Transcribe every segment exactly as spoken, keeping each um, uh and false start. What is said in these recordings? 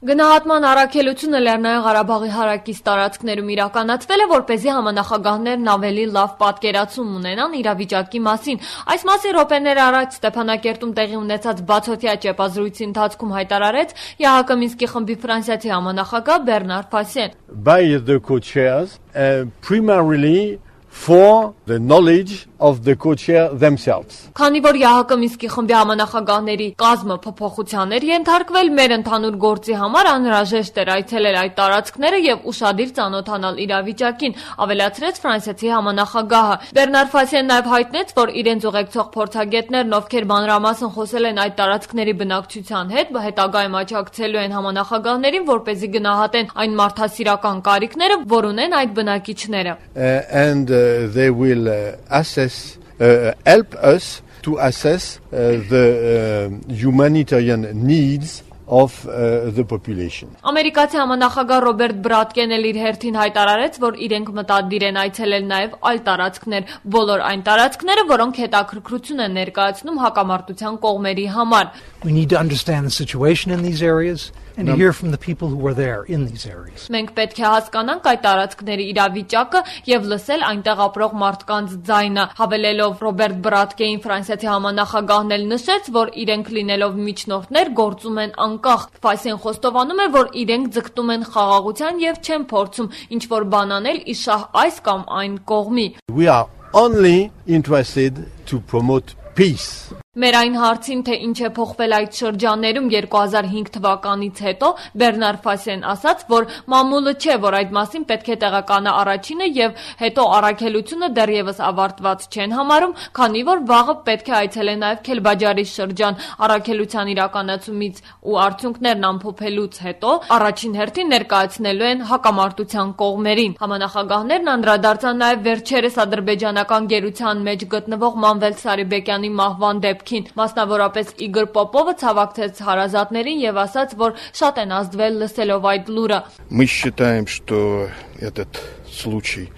Գնահատման առաքելությունը Լեռնային Ղարաբաղի հարակից տարածքներում իրականացվել է, որպեսզի համանախագահներն ավելի լավ պատկերացում ունենան իրավիճակի մասին։ Այս մասին րոպեներ առաջ Ստեփանակերտում տեղի ունեցած բացօթյա ճեպազրույցի ընթացքում հայտարարեց ԵԱՀԿ Մինսկի խմբի ֆրանսիացի համանախագահ Բեռնար Ֆասեն։ By the co-chairs, uh, primarily for the knowledge of the co-chair themselves. Քանի որ ԵԱՀԿ Մինսկի խմբի համանախագահների կազմը փոփոխության էր ենթարկվել, մեր ընդհանուր գործի համար անհրաժեշտ էր այցելել այդ տարածքները եւ ուշադիր ծանոթանալ իրավիճակին, ավելացրեց ֆրանսիացի համանախագահը։ Բեռնար Ֆասեն նաեւ հայտնեց, որ իրենց ուղեկցող փորձագետներն, ովքեր մանրամասն խոսել են այդ տարածքների բնակչության հետ, հետագայում աջակցելու են համանախագահներին, որպեսզի գնահատեն այն մարդասիրական կարիքները, որ ունեն այդ բնակիչները։ And uh, they will uh, assess, uh, help us to assess uh, the uh, humanitarian needs of uh, the population. Ամերիկացի համանախագահ Ռոբերտ Բրատկեն էլ իր հերթին հայտարարեց, որ իրենք մտադիր են այցելել նաև այլ տարածքներ, բոլոր այն տարածքները, որոնք հետաքրքրություն են ներկայացնում հակամարտության կողմերի համար։ We need to understand the situation in these areas and to hear from the people who are there in these areas. Մենք պետք է հասկանանք այդ տարածքների իրավիճակը եւ լսել այնտեղ ապրող մարդկանց ձայնը, հավելելով Ռոբերտ Բրատկեին ֆրանսիացի համանախագահն էլ նշեց, որ իրենք լինելով միջնորդներ գործում են անկախ։ Ֆասեն խոստովանում է, որ իրենք ձգտում են խաղաղության եւ չեն փորձում ինչ որ բան անել իշահ այս կամ այն կողմի։ We are only interested to promote peace. Մեր այն հարցին, թե ինչ է փոխվել այդ շրջաններում երկու հազար հինգ թվականից հետո, Բեռնար Ֆասեն ասաց, որ մամուլը չէ, որ այդ մասին պետք է տեղեկանա առաջինը եւ հետո առաքելությունը դեռևս ավարտված չեն համարում, քանի որ վաղը պետք է այցելեն նաեւ Քելբաջարի շրջան առաքելության իրականացումից ու արդյունքներն ամփոփելուց հետո առաջին հերթին ներկայացնելու են հակամարտության կողմերին։ Համանախագահներն անդրադարձան նաեւ վերջերս ադրբեջանական գերության մեջ գտնվող Մանվել Սարիբեկյանի մահվան դեպքին։ Մասնավորապես Իգոր Պոպովը ցավակցեց հարազատներին եւ ասաց, որ շատ են ազդվել լսելով այդ լուրը։ Мы считаем, что этот случай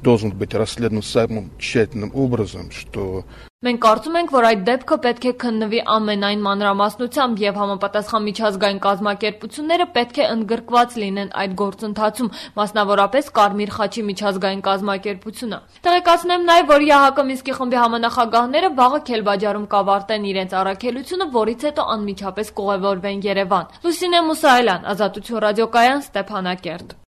должен быть расследован самым тщательным образом, что Մենք կարծում ենք, որ այդ դեպքը պետք է քննվի ամենայն մանրամասնությամբ եւ համապատասխան միջազգային կազմակերպությունները պետք է ընդգրկված լինեն այդ գործընթացում, մասնավորապես Կարմիր խաչի միջազգային կազմակերպությունը։ Տեղեկացնեմ նաեւ, որ ԵԱՀԿ Մինսկի խմբի համանախագահները վաղը Քելբաջարում կավարտեն իրենց առաքելությունը, որից հետո անմիջապես կուղևորվեն Երևան։ Լուսինե Մուսայելյան, Ազատություն ռադիոկայան, Ստեփանակերտ։